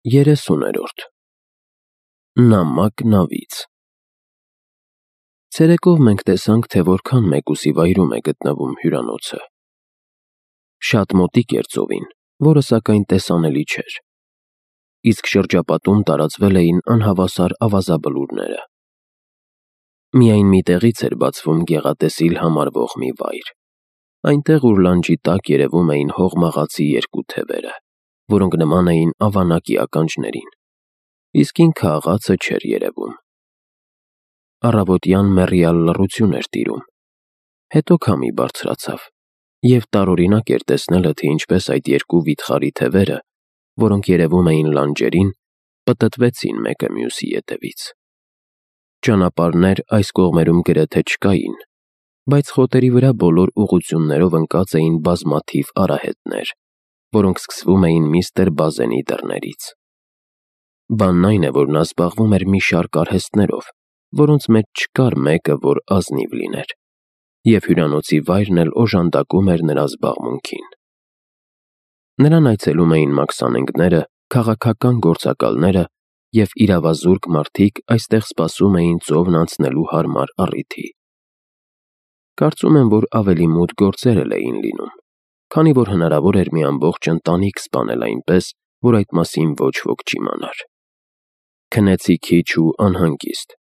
30-րդ Նամակ նավից Ցերեկով մենք տեսանք, թե որքան մեկուսի վայրում է գտնվում հյուրանոցը։ Շատ մոտիկ էր ծովին, որը սակայն տեսանելի չէր։ Իսկ շրջապատում տարածվել էին անհավասար ավազաբլուրները։ Միայն մի տեղից էր բացվում գեղատեսիլ համարվող մի վայր։ Այնտեղ, ուր լանջի տակ երևում էին հողմաղացի երկու թևերը, որոնք նման էին ավանակի ականջներին, իսկ ինքը աղացը չէր երևում։ Առավոտյան մեռյալ լռություն էր տիրում, հետո քամի բարձրացավ, և տարօրինակ էր տեսնելը, թե ինչպես այդ երկու վիթխարի թևերը, որոնք երևում էին լանջերին, պտտվեցին մեկը մյուսի ետևից։ Ճանապարհներ այս կողմերում գրեթե չկային, բայց խոտերի վրա բոլոր ուղղություններով ընկած էին բազմաթիվ արահետներ, որոնք սկսվում էին միստր Բազենի դռներից։ Բանն այն է, որ նա զբաղվում էր մի շարք արհեստներով, որոնց մեջ չկար մեկը, որ ազնիվ լիներ, և հյուրանոցի վայրն էլ օժանդակում էր նրա զբաղմունքին։ Նրան այցելում էին մաքսանենգները, քաղաքական գործակալները և իրավազուրկ մարդիկ այստեղ սպասում էին ծովն անցնելու հարմար առիթի։ Կարծում եմ, որ ավելի մութ գործեր էլ էին լինում, քանի որ հնարավոր էր մի ամբողջ ընտանիք սպանել այնպես, որ այդ մասին ոչ ոք չիմանար։ Քնեցի քիչ ու անհանգիստ։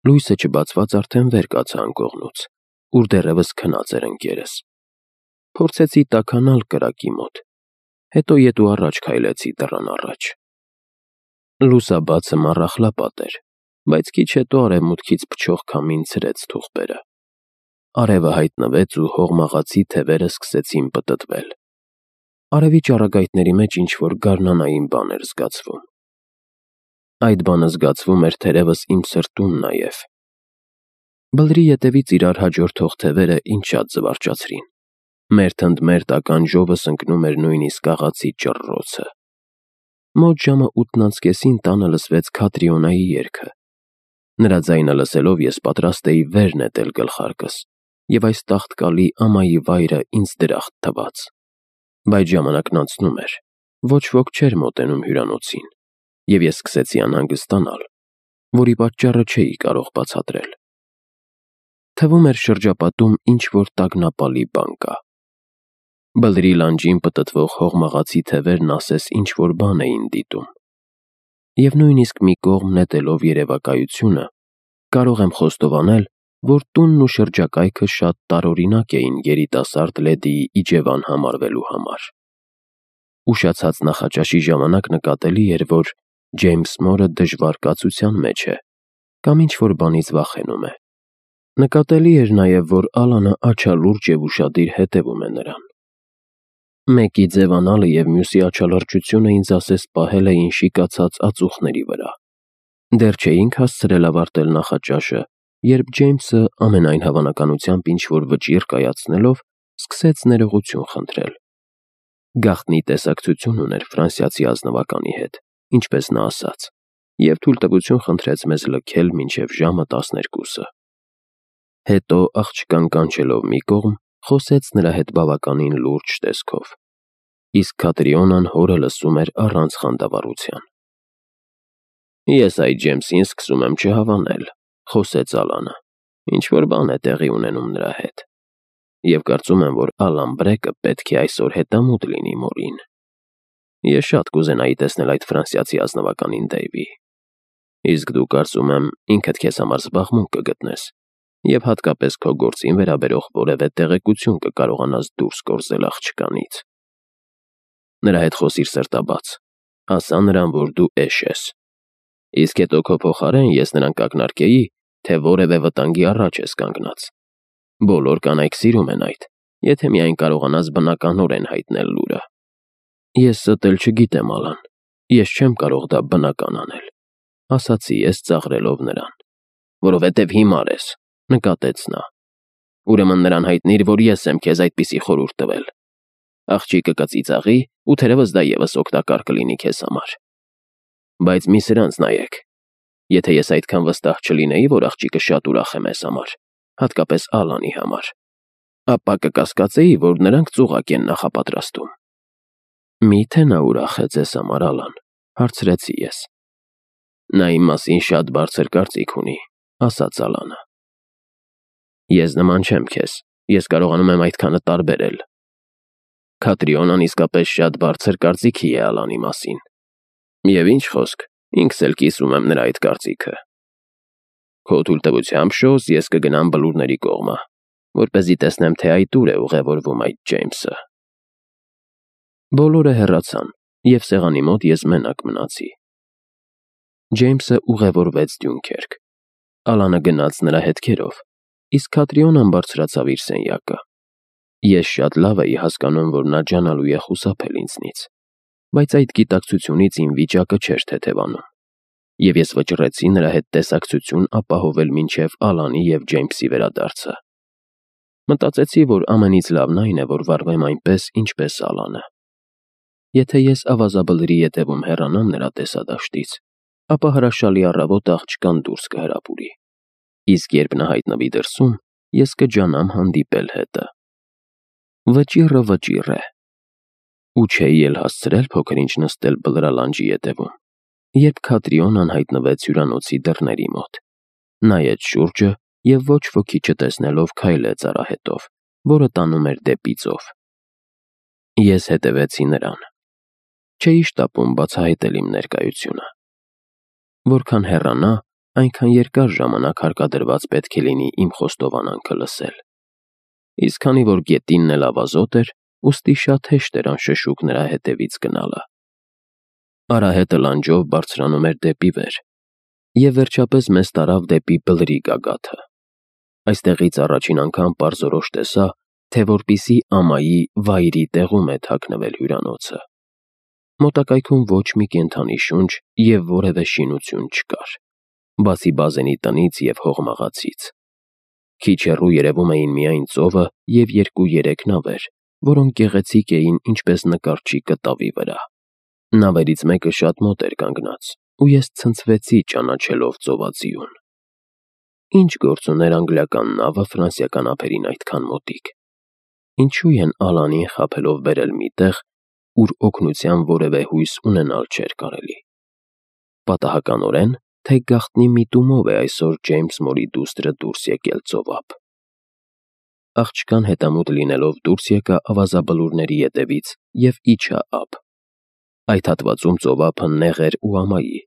Լույսը չբացված արդեն վեր կացա անկողնուց, ուր դեռևս քնած էր ընկերս։ Փորձեցի տաքանալ կրակի մոտ, հետո ետ ու առաջ քայլեցի դռան առաջ։ Լուսաբացը մառախլապատ էր, բայց քիչ հետո արևմուտքից փչող քամին ցրեց թուղթերը։ Արևը հայտնվեց ու հողմաղացի թևերը սկսեցին պտտվել։ Արևի ճառագայթների մեջ ինչ-որ գարնանային բան էր զգացվում։ Այդ բանը զգացվում էր թերևս իմ սրտում նաև։ Բլրի ետևից իրար հաջորդող թևերը ինձ շատ զվարճացրին։ Մերթ ընդ մերթ ականջովս ընկնում էր նույնիսկ աղացի ճռռոցը։ Մոտ ժամը 8:30 տանը լսվեց Քատրիոնայի երգը։ Նրա ձայնը լսելով ես պատրաստ էի վեր նետել գլխարկս, և այս տաղտկալի ամայի վայրը ինձ դրախտ թվաց։ Բայց ժամանակն անցնում էր, ոչ ոք չէր մոտենում հյուրանոցին, և ես սկսեցի անհանգստանալ, որի պատճառը չէի կարող բացատրել։ Թվում էր շրջապատում ինչ-որ տագնապալի բան կա։ Բլրի լանջին պտտվող հողմաղացի թևերն ասես ինչ-որ բան էին դիտում։ Եվ նույնիսկ մի կողմ նետելով երևակայությունը, կարող եմ խոստովանել, որ տունն ու շրջակայքը շատ տարօրինակ էին երիտասարդ լեդիի իջևան համարվելու համար։ Ուշացած նախաճաշի ժամանակ նկատելի էր, որ Ջեյմս Մորը դժվար կացության մեջ է կամ ինչ-որ բանից վախենում է։ Նկատելի էր նաև, որ Ալանը աչալուրջ և ուշադիր հետևում է նրան։ Մեկի ձևանալը և մյուսի աչալրջությունը ինձ ասես պահել էին շիկացած ածուխների վրա։ Դեռ չէինք հասցրել ավարտել նախաճաշը, երբ Ջեյմսը ամենայն հավանականությամբ ինչ-որ վճիռ կայացնելով, սկսեց ներողություն խնդրել։ Գաղտնի տեսակցություն ուներ ֆրանսիացի ազնվականի հետ, ինչպես նա ասաց, և թույլտվություն խնդրեց մեզ լքել մինչև ժամը 12-ը։ Հետո, աղջկան կանչելով մի կողմ, խոսեց նրա հետ բավականին լուրջ տեսքով, իսկ Քատրիոնան հորը լսում էր առանց խանդավառության։ «Ես այդ Ջեյմսին սկսում եմ չհավանել», խոսեց Ալանը, «ինչ-որ բան է տեղի ունենում նրա հետ, և կարծում եմ, որ Ալան Բրեկը պետք է այսօր հետամուտ լինի մորին։ Ես շատ կուզենայի տեսնել այդ ֆրանսիացի ազնվականին, Դեյվի։ Իսկ դու, կարծում եմ, ինքդ քեզ համար զբաղմունք կգտնես և հատկապես քո գործին վերաբերող որևէ տեղեկություն կկարողանաս դուրս կորզել աղջկանից։ Նրա հետ խոսիր սրտաբաց, ասա նրան, որ դու էշ ես։ Իսկ հետո քո փոխարեն ես նրան կակնարկեի, թե որևէ վտանգի առաջ ես կանգնած։ Բոլոր կանայք սիրում են այդ, եթե միայն կարողանաս բնականորեն հայտնել լուրը։ Ես ստել չգիտեմ, Ալան, ես չեմ կարող դա բնական անել, ասացի ես ծաղրելով նրան։ Որովհետև հիմար ես, նկատեց նա։ Ուրեմն նրան հայտնիր, որ ես եմ քեզ այդպիսի խորհուրդ տվել։ Աղջիկը կծիծաղի, ու թերևս դա ևս օգտակար կլինի քեզ համար։ Բայց մի սրանց նայեք։ Եթե ես այդքան վստահ չլինեի, որ աղջիկը շատ ուրախ է մեզ համար, հատկապես Ալանի համար, ապա կկասկածեի, որ նրանք ծուղակ են նախապատրաստում։ Մի՞թե նա ուրախ է ձեզ համար, Ալան, Հարցրեցի ես։ Նա իմ մասին շատ բարձր կարծիք ունի, ասաց Ալանը։ Ես նման չեմ քեզ, ես կարողանում եմ այդքանը տարբերել։ Քատրիոնան իսկապես շատ բարձր կարծիքի է Ալանի մասին։ Եվ ինչ խոսք, ինքս էլ կիսում եմ նրա այդ կարծիքը։ Քո թույլտվությամբ Շոուս ես կգնամ բլուրների կողմը, որպեսզի տեսնեմ, թե այդ ուր է ուղևորվում այդ Ջեյմսը։ Բոլորը հեռացան, և սեղանի մոտ ես մենակ մնացի։ Ջեյմսը ուղևորվեց Դյունքերկ։ Ալանը գնաց նրա հետքերով, իսկ Քատրիոնան բարձրացավ իր սենյակը։ Ես շատ լավ էի հասկանում, որ նա ջանալու է խուսափել ինձնից, բայց այդ գիտակցությունից իմ վիճակը չէր թեթևանում, և ես վճռեցի նրա հետ տեսակցություն ապահովել մինչև Ալանի և Ջեյմսի վերադարձը։ Մտածեցի, որ ամենից լավն այն է, որ վարվեմ այնպես, ինչպես Ալանը։ Եթե ես ավազաբլրի ետևում հեռանամ նրա տեսադաշտից, ապա հրաշալի առավոտ աղջկան դուրս կհրապուրի, իսկ երբ նա հայտնվի դրսում, ես կջանամ հանդիպել հետը։ Վճիռը վճիռ է։ Ու չէի էլ հասցրել փոքր-ինչ նստել բլրալանջի ետևում, երբ Քատրիոնան հայտնվեց հյուրանոցի դռների մոտ, նայեց շուրջը և ոչ ոքի չտեսնելով քայլեց արահետով, որը տանում էր դեպի ծով։ Ես հետևեցի նրան։ Չէի շտապում բացահայտել իմ ներկայությունը։ Որքան հեռանա, այնքան երկար ժամանակ հարկադրված պետք է լինի իմ խոստովանանքը լսել։ Իսկ քանի որ գետինն էլ ավազոտ էր, ուստի շատ հեշտ էր անշշուկ նրա հետևից գնալը։ Արահետը լանջով բարձրանում էր դեպի վեր, և վերջապես մեզ տարավ դեպի բլրի գագաթը։ Այստեղից առաջին անգամ պարզորոշ տեսա, թե որպիսի ամայի վայրի տեղում է թաքնվել հյուրանոցը։ Մոտակայքում ոչ մի կենդանի շունչ և որևէ շինություն չկար, բացի բազենի տնից և հողմաղացից։ Քիչ հեռու երևում էին միայն ծովը և 2-3 նավեր, որոնք գեղեցիկ էին ինչպես նկարչի կտավի վրա։ Նավերից մեկը շատ մոտ էր կանգնած, ու ես ցնցվեցի ճանաչելով ծովածիուն։ Ինչ գործ ուներ անգլիական նավը ֆրանսիական ափերին այդքան մոտիկ։ Ինչու են Ալանին խաբելով բերել մի տեղ, ուր օգնության որևէ հույս ունենալ չէր կարելի։ Պատահականորեն, թե գաղտնի միտումով է այսօր Ջեյմս մորի դուստրը դուրս եկել ծովափ։ Աղջկան հետամուտ լինելով դուրս եկա ավազաբլուրների ետևից և իջա ափ։ Այդ հատվածում ծովափը նեղ էր ու ամայի։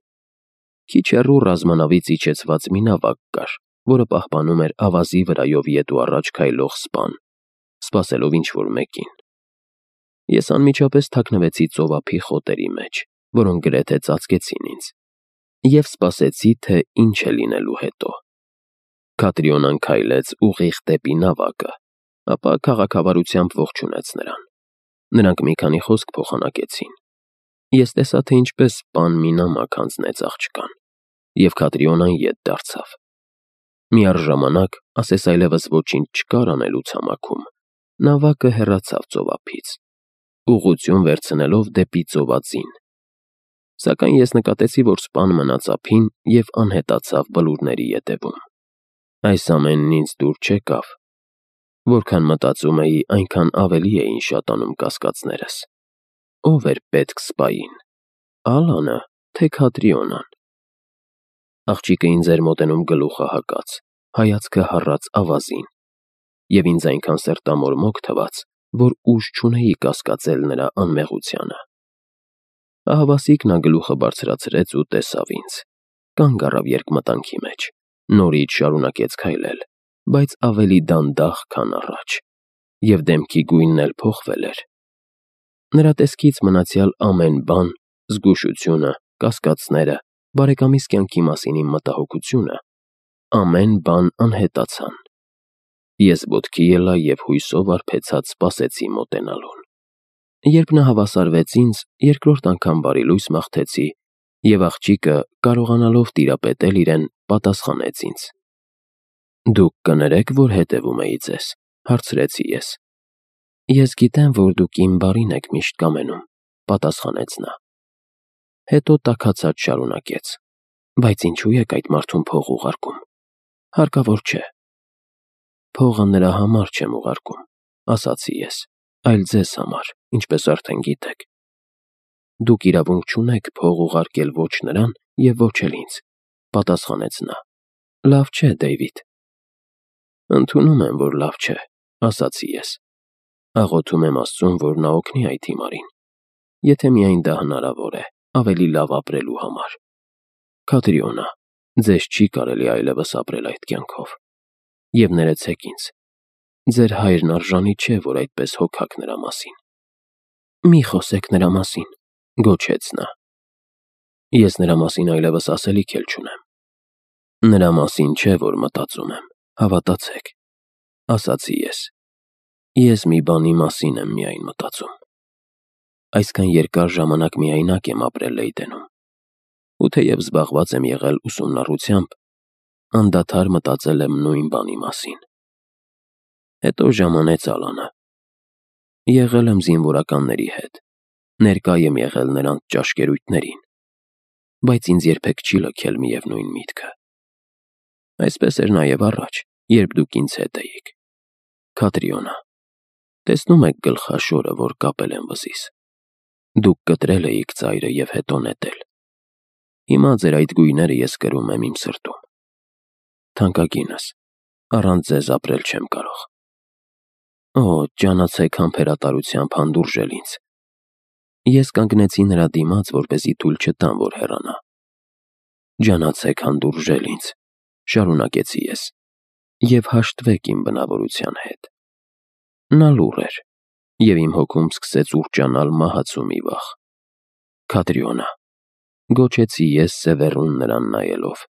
Քիչ հեռու ռազմանավից իջեցված մի նավակ կար, որը պահպանում էր ավազի վրայով ետ ու առաջ քայլող սպան, սպասելով ինչ-որ մեկին։ Ես անմիջապես թաքնվեցի ծովափի խոտերի մեջ, որոնք գրեթե ծածկեցին ինձ, և սպասեցի, թե ինչ է լինելու հետո։ Քատրիոնան քայլեց ուղիղ դեպի նավակը, ապա քաղաքավարությամբ ողջունեց նրան։ Նրանք մի քանի խոսք փոխանակեցին։ Ես տեսա, թե ինչպես սպան մի նամակ հանձնեց աղջկան, և Քատրիոնան ետ դարձավ։ Միառժամանակ, ասես այլևս ոչինչ չկար անելու ցամաքում, նավակը հեռացավ ծովափից, ուղղություն վերցնելով դեպի ծովածին։ Սակայն ես նկատեցի, որ սպան մնաց ափին և անհետացավ բլուրների ետևում։ Այս ամենն ինձ դուր չեկավ։ Որքան մտածում էի, այնքան ավելի էին շատանում կասկածներս։ Ո՞վ էր պետք սպային՝ Ալանը, թե Քատրիոնան։ Աղջիկը ինձ էր մոտենում գլուխը հակած, հայացքը հառած ավազին, և ինձ այնքան սրտամորմոք թվաց, որ ուժ չունեի կասկածել նրա անմեղությանը։ Ահավասիկ նա գլուխը բարձրացրեց ու տեսավ ինձ։ Կանգ առավ երկմտանքի մեջ, նորից շարունակեց քայլել, բայց ավելի դանդաղ, քան առաջ, և դեմքի գույնն էլ փոխվել էր։ Նրա տեսքից մնացյալ ամեն բան՝ զգուշությունը, կասկածները, բարեկամիս կյանքի մասին իմ մտահոգությունը, ամեն բան անհետացան։ Ես ոտքի ելա և հույսով արբեցած սպասեցի մոտենալուն։ Երբ նա հավասարվեց ինձ, երկրորդ անգամ բարի լույս մաղթեցի, և աղջիկը, կարողանալով տիրապետել իրեն, պատասխանեց ինձ։ «Դուք կներեք, որ հետևում էի ձեզ», հարցրեցի ես։ «Ես գիտեմ, որ դուք իմ բարին եք միշտ կամենում», պատասխանեց նա։ Հետո տաքացած շարունակեց. «Բայց ինչու եք այդ մարդուն փող ուղարկում։ Հարկավոր չէ»։ «Փողը նրա համար չեմ ուղարկում», ասացի ես, «այլ ձեզ համար, ինչպես արդեն գիտեք»։ Դուք իրավունք չունեք փող ուղարկել ոչ նրան և ոչ էլ ինձ, պատասխանեց նա։ Լավ չէ, Դեյվիդ։ Ընդունում եմ, որ լավ չէ, ասացի ես։ Աղոթում եմ Աստծուն, որ նա օգնի այդ հիմարին, եթե միայն դա հնարավոր է, ավելի լավ ապրելու համար։ Քաթրիոնա, ձեզ չի կարելի այլևս ապրել այդ կյանքով։ Եվ ներեցեք ինձ, ձեր հայրն արժանի չէ, որ այդպես հոգաք նրա մասին։ Մի խոսեք նրա մասին, գոչեց նա։ Ես նրա մասին այլևս ասելիք էլ չունեմ։ Նրա մասին չէ, որ մտածում եմ, հավատացեք, ասացի ես։ Ես մի բանի մասին եմ միայն մտածում։ Այսքան երկար ժամանակ միայնակ եմ ապրել Լեյդենում, ու թեև զբաղված եմ եղել ուսումնառությամբ, անդադար մտածել եմ նույն բանի մասին։ Հետո ժամանեց Ալանը։ Եղել եմ զինվորականների հետ, ներկա եմ եղել նրանց ճաշկերույթներին, բայց ինձ երբեք չի լքել միևնույն միտքը։ Այսպես էր նաև առաջ, երբ դուք ինձ հետ էիք։ Քաթրիոնա, տեսնում եք գլխաշորը, որ կապել եմ վզիս։ Դուք կտրել էիք ծայրը և հետո նետել։ Հիմա ձեր այդ գույները ես կրում եմ իմ սրտում։ Թանկագինս, առանց ձեզ ապրել չեմ կարող։ Օ, ջանացեք համբերատարությամբ հանդուրժել ինձ։ Ես կանգնեցի նրա դիմաց, որպեսզի թույլ չտամ, որ հեռանա։ Ջանացեք հանդուրժել ինձ, շարունակեցի ես, և հաշտվեք իմ բնավորության հետ։ Նա լուռ էր, և իմ հոգում սկսեց ուռճանալ մահացու մի վախ։ Քաթրիոնա, գոչեցի ես սևեռուն նրան նայելով,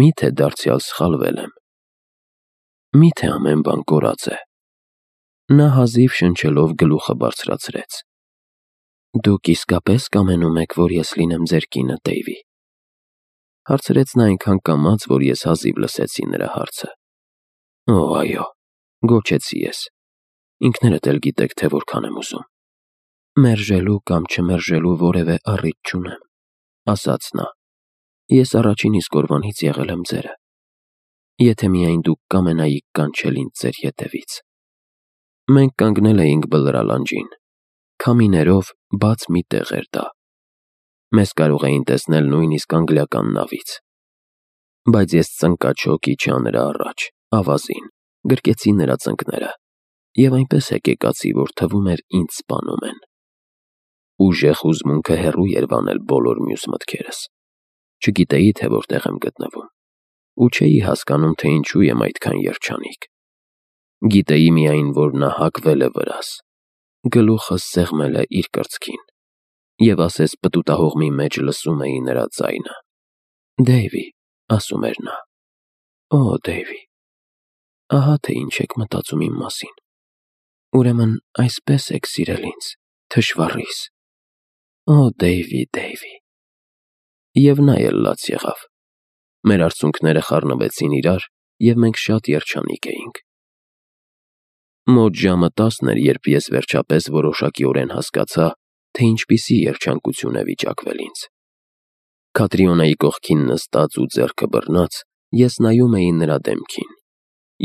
միթե դարձյալ սխալվել եմ։ Միթե ամեն բան կորած է։ Նա հազիվ շնչելով գլուխը բարձրացրեց։ Դուք իսկապես կամենում եք, որ ես լինեմ ձեր կինը, Դեյվի։ Հարցրեց նա այնքան կամաց, որ ես հազիվ լսեցի նրա հարցը։ Օ, այո, գոչեցի ես։ Ինքներդ էլ գիտեք, թե որքան եմ ուզում։ Մերժելու կամ չմերժելու որևէ առիթ չունեմ, ասաց նա։ Ես առաջին իսկ օրվանից եղել եմ ձերը։ Եթե միայն դուք կամենայիք կանչել ինձ ձեր ետևից։ Մենք կանգնել էինք բլրալանջին, քամիներով բաց մի տեղ էր դա։ Մեզ կարող էին տեսնել նույնիսկ անգլիական նավից։ Բայց ես ծնկաչոք իջա նրա առաջ, ավազին, գրկեցի նրա ծնկները, և այնպես հեկեկացի, որ թվում էր ինձ սպանում են։ Ուժեղ հուզմունքը հեռու էր վանել բոլոր մյուս մտքերս։ Չգիտեի, թե որտեղ եմ գտնվում, ու չէի հասկանում, թե ինչու եմ այդքան երջանիկ։ Գիտեի միայն, որ նա հագվել է վրաս, գլուխը սեղմել է իր կրծքին, և ասես պտուտահողմի մեջ լսում էի նրա ձայնը։ Դեյվի, ասում էր նա, օ, Դեյվի, ահա թե ինչ եք մտածում իմ մասին։ Ուրեմն այսպես եք սիրել ինձ, թշվառիս։ Օ, Դեյվի, Դեյվի։ Եվ նա էլ լաց եղավ։ Մեր արցունքները խառնվեցին իրար, և մենք շատ երջանիկ էինք։ Մոտ ժամը 10 էր, երբ ես վերջապես որոշակիորեն հասկացա, թե ինչպիսի երջանկություն է վիճակվել ինձ։ Քաթրիոնայի կողքին նստած ու ձեռքը բռնած, ես նայում էի նրա դեմքին։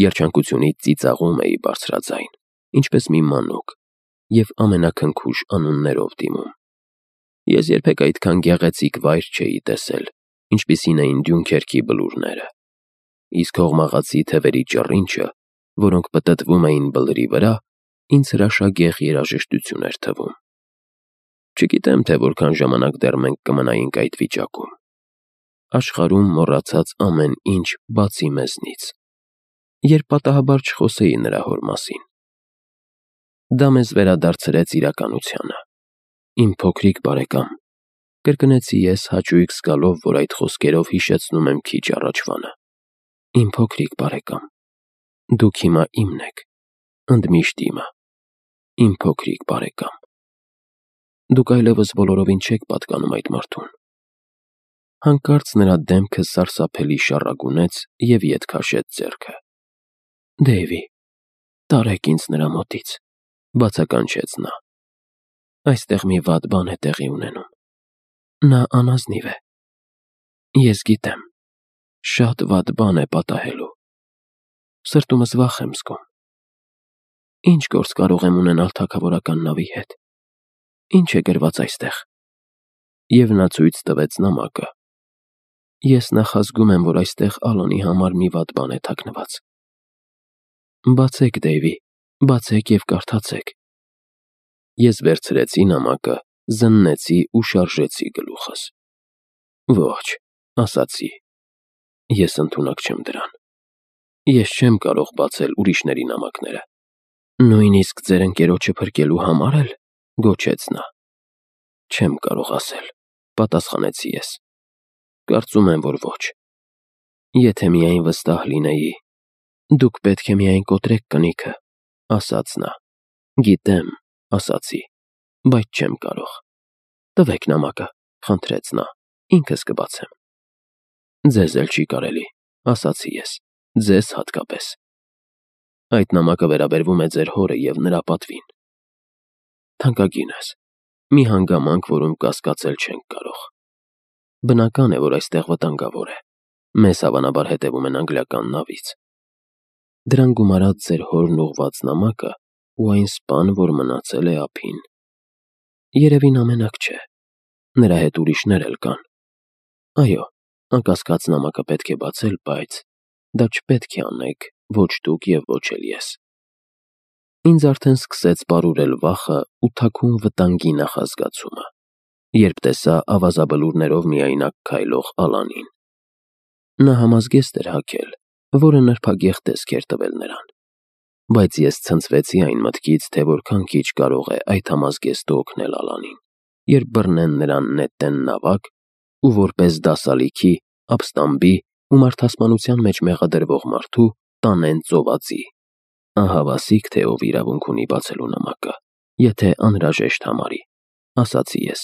Երջանկությունից ծիծաղում էի բարձրաձայն, ինչպես մի մանուկ, և ամենաքնքուշ անուններով դիմում։ Ես երբեք այդքան գեղեցիկ վայր չէի տեսել, ինչպիսին էին Դյունքերքի բլուրները։ Իսկ հողմաղացի թևերի ճռինչը, որոնք պտտվում էին բլրի վրա, ինձ հրաշագեղ երաժշտություն էր թվում։ Չգիտեմ, թե որքան ժամանակ դեռ մենք կմնայինք այդ վիճակում։ Աշխարհում մոռացած ամեն ինչ բացի մեզնից, երբ պատահաբար չխոսեի նրա հոր մասին։ Դա մեզ վերադարձրեց իրականությանը։ Իմ փոքրիկ բարեկամ, կրկնեցի ես հաճույք զգալով, որ այդ խոսքերով հիշեցնում եմ քիչ առաջվանը։ Իմ փոքրիկ բարեկամ, դուք հիմա իմն եք, ընդմիշտ իմը, իմ փոքրիկ բարեկամ։ Դուք այլևս բոլորովին չեք պատկանում այդ մարդուն։ Հանկարծ նրա դեմքը սարսափելի շառագունեց և ետ քաշեց ձեռքը։ Դեյվի, տարեք ինձ նրա մոտից, բացականչեց նա։ Այստեղ մի վատ բան է տեղի ունենում։ Նա անազնիվ է։ Ես գիտեմ, շատ վատ բան է պատահելու։ Սրտումս վախ եմ զգում։ Ինչ գործ կարող եմ ունենալ թագավորական նավի հետ։ Ինչ է գրված այստեղ։ և նա ցույց տվեց նամակը։ Ես նախազգում եմ, որ այստեղ Ալոնի համար մի վատ բան է թաքնված։ Բացեք, Դեյվի, բացեք և կարդացեք։ Ես վերցրեցի նամակը, զննեցի ու շարժեցի գլուխս։ Ոչ, ասացի, ես ընդունակ չեմ դրան։ Ես չեմ կարող բացել ուրիշների նամակները։ Նույնիսկ ձեր ընկերոջը փրկելու համար էլ, գոչեց նա։ Չեմ կարող ասել, պատասխանեցի ես։ Կարծում եմ, որ ոչ։ Եթե միայն վստահ լինեի։ Դուք պետք է միայն կոտրեք կնիքը, ասաց նա։ Գիտեմ, ասացի, բայց չեմ կարող։ Տվեք նամակը, խնդրեց նա, ինքս կբացեմ։ Ձեզ էլ չի կարելի, ասացի ես, ձեզ հատկապես։ Այդ նամակը վերաբերվում է ձեր հորը և նրա պատվին։ Թանկագինս, մի հանգամանք, որում կասկածել չենք կարող։ Բնական է, որ այստեղ վտանգավոր է։ Մեզ հավանաբար հետևում են անգլիական նավից։ Դրան գումարած ձեր հորն ուղված նամակը ու այն սպան, որ մնացել է ափին։ Երևին ամենակ չէ։ Նրա հետ ուրիշներ էլ կան։ Այո, անկասկած նամակը պետք է բացել, բայց դա չպետք է անեք ոչ դուք և ոչ էլ ես։ Ինձ արդեն սկսեց պարուրել վախը ու թաքուն վտանգի նախազգացումը, երբ տեսա ավազաբլուրներով միայնակ քայլող Ալանին։ Նա համազգեստ էր հագել, որը նրբագեղ տեսք էր տվել նրան, բայց ես ցնցվեցի այն մտքից, թե որքան քիչ կարող է այդ համազգեստը օգնել Ալանին, երբ բռնեն նրան նետեն նավակ ու որպես դասալիքի, ապստամբի ու մարդասպանության մեջ մեղադրվող մարդու տանեն ծովածի։ Ահավասիկ, թե ով իրավունք ունի բացելու նամակը, եթե անհրաժեշտ համարի, ասացի ես։